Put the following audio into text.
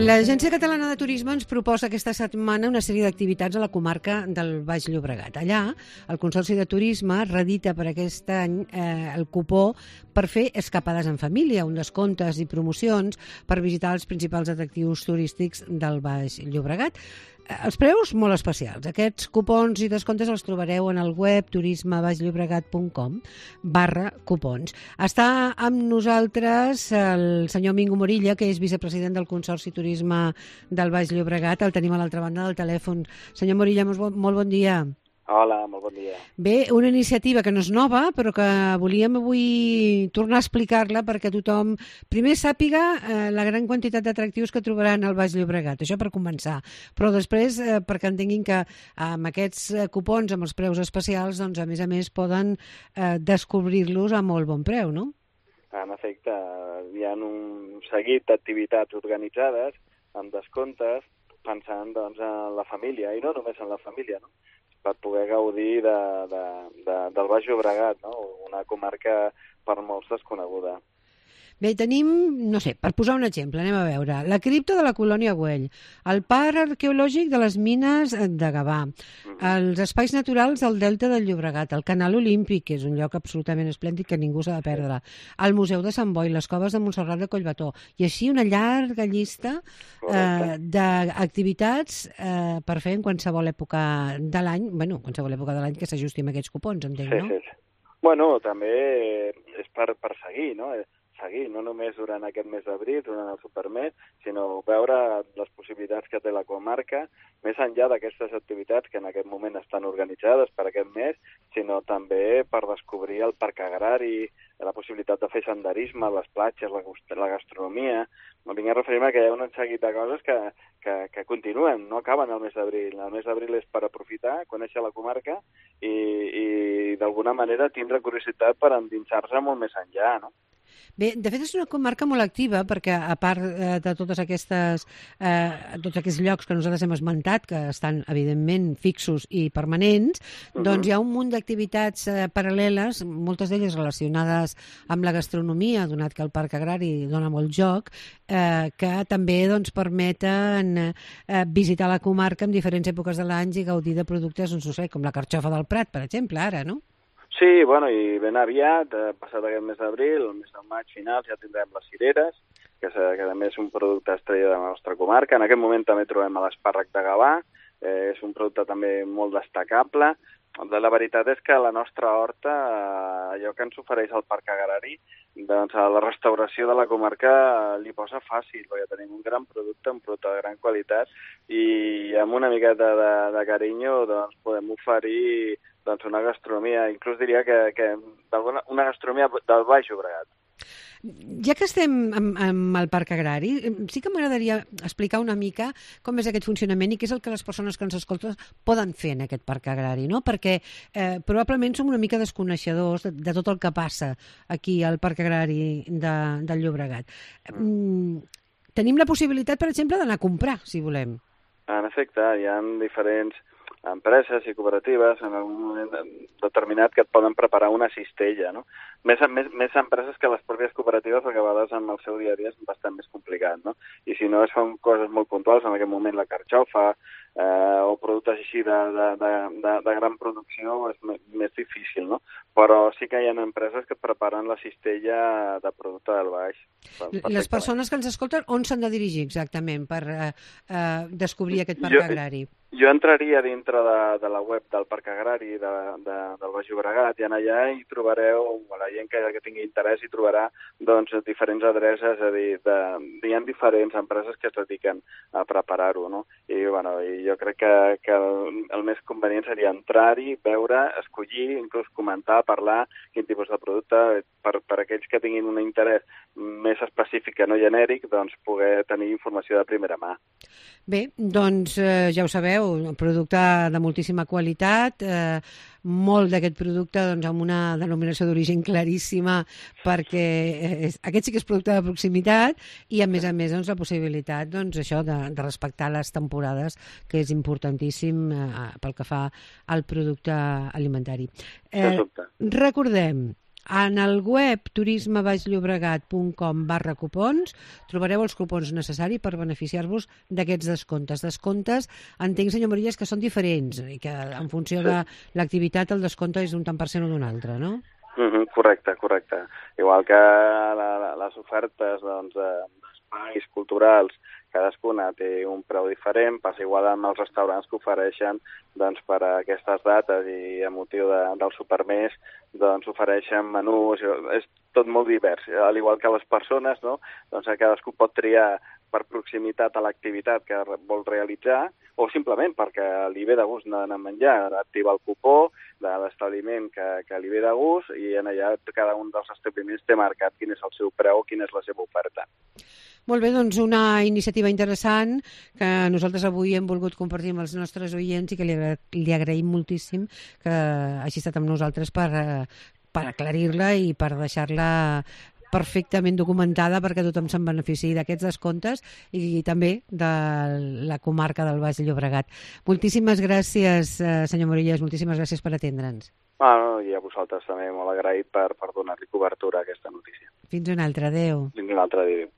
L'Agència Catalana de Turisme ens proposa aquesta setmana una sèrie d'activitats a la comarca del Baix Llobregat. Allà, el Consorci de Turisme redita per aquest any el cupó per fer escapades en família, un descomptes i promocions per visitar els principals atractius turístics del Baix Llobregat. Els preus molt especials. Aquests cupons i descomptes els trobareu en el web turismebaixllobregat.com/cupons. Està amb nosaltres el senyor Mingo Morilla, que és vicepresident del Consorci Turisme del Baix Llobregat. El tenim a l'altra banda del telèfon. Senyor Morilla, molt bon dia. Hola, molt bon dia. Bé, una iniciativa que no és nova, però que volíem avui tornar a explicar-la perquè tothom primer sàpiga la gran quantitat d'atractius que trobaran al Baix Llobregat, això per començar. Però després, perquè entenguin que amb aquests cupons, amb els preus especials, doncs a més poden descobrir-los a molt bon preu, no? En efecte, hi ha un seguit d'activitats organitzades amb descomptes pensant doncs, en la família, i no només en la família, no? Per poder gaudir del Baix Llobregat, no? Una comarca per molts desconeguda. Bé, tenim, no sé, per posar un exemple, anem a veure, la cripta de la colònia Güell, el parc arqueològic de les mines de Gavà, els espais naturals del Delta del Llobregat, el Canal Olímpic, que és un lloc absolutament esplèndid que ningú s'ha de perdre, el Museu de Sant Boi, les coves de Montserrat de Collbató, i així una llarga llista d'activitats per fer en qualsevol època de l'any, qualsevol època de l'any que s'ajusti amb aquests cupons, entenc, no? Sí. Bueno, també és per seguir, no? Seguir, no només durant aquest mes d'abril, durant el Supermes, sinó veure les possibilitats que té la comarca, més enllà d'aquestes activitats que en aquest moment estan organitzades per aquest mes, sinó també per descobrir el parc agrari, la possibilitat de fer senderisme, les platges, la gastronomia. Vinc a referir-me que hi ha un seguit de coses que continuen, no acaben el mes d'abril. El mes d'abril és per aprofitar, conèixer la comarca i d'alguna manera tindre curiositat per endinsar-se molt més enllà, no? Bé, de fet és una comarca molt activa perquè a part de tots aquests llocs que nosaltres hem esmentat, que estan evidentment fixos i permanents, doncs hi ha un munt d'activitats paral·leles, moltes d'elles relacionades amb la gastronomia, donat que el parc agrari dona molt joc, que també doncs, permeten visitar la comarca en diferents èpoques de l'any i gaudir de productes, no sé, com la carxofa del Prat, per exemple, ara, no? Sí, bueno, i ben aviat, passat aquest mes d'abril, el mes de maig final, ja tindrem les cireres, que també és un producte estrella de la nostra comarca. En aquest moment també trobem l'espàrrec de Gavà, és un producte també molt destacable. La veritat és que la nostra horta, allò que ens ofereix el parc agrari, doncs a la restauració de la comarca li posa fàcil, perquè tenim un gran producte, un producte de gran qualitat, i amb una miqueta de carinyo doncs, podem oferir una gastronomia, inclús diria que una gastronomia del Baix Llobregat. Ja que estem amb el parc agrari, sí que m'agradaria explicar una mica com és aquest funcionament i què és el que les persones que ens escolten poden fer en aquest parc agrari, no? Perquè probablement som una mica desconeixedors de tot el que passa aquí al parc agrari del Llobregat. Tenim la possibilitat, per exemple, d'anar a comprar, si volem. En efecte, hi ha diferents empreses i cooperatives en algun moment determinat que et poden preparar una cistella, no? Més empreses que les pròpies cooperatives, perquè a vegades en el seu dia a dia és bastant més complicat, no? I si no es fan coses molt puntuals, en aquest moment la carxofa o productes així de gran producció és més difícil, no? Però sí que hi ha empreses que preparen la cistella de producte del baix. Les persones que ens escolten, on s'han de dirigir exactament per descobrir aquest parc agrari? Jo entraria dintre de la web del Parc Agrari del Baix Llobregat i allà hi trobareu, la gent que tingui interès hi trobarà doncs, diferents adreces, és a dir, hi ha diferents empreses que es dediquen a preparar-ho, no? I jo crec que el més convenient seria entrar-hi, veure, escollir, inclús comentar, parlar quin tipus de producte, per aquells que tinguin un interès més específic que no genèric, doncs poder tenir informació de primera mà. Bé, doncs ja ho sabeu, un producte de moltíssima qualitat, molt d'aquest producte doncs, amb una denominació d'origen claríssima perquè aquest sí que és producte de proximitat i a més doncs, la possibilitat doncs, això de respectar les temporades, que és importantíssim pel que fa al producte alimentari. Recordem, En el web turismebaixllobregat.com/cupons trobareu els cupons necessaris per beneficiar-vos d'aquests descomptes. Descomptes, entenc, senyor Morillas, que són diferents i que en funció de l'activitat el descompte és d'un tant per cent o d'un altre, no? Correcte. Igual que les ofertes d'espais culturals, cadascuna té un preu diferent, passa igual amb els restaurants que ofereixen per a aquestes dates i a motiu del supermés ofereixen menús, és tot molt divers, al igual que les persones, no? Cadascú pot triar per proximitat a l'activitat que vol realitzar o simplement perquè li ve de gust anar a menjar, activa el cupó de l'establiment que li ve de gust i en allà cada un dels establiments té marcat quin és el seu preu, quina és la seva oferta. Molt bé, doncs una iniciativa interessant que nosaltres avui hem volgut compartir amb els nostres oients i que li agraïm moltíssim que hagi estat amb nosaltres per aclarir-la i per deixar-la perfectament documentada perquè tothom se'n beneficiï d'aquests descomptes i també de la comarca del Baix Llobregat. Moltíssimes gràcies, senyor Morillas, moltíssimes gràcies per atendre'ns. I a vosaltres també molt agraït per donar-li cobertura a aquesta notícia. Fins una altra, adéu. Fins una altra, adéu.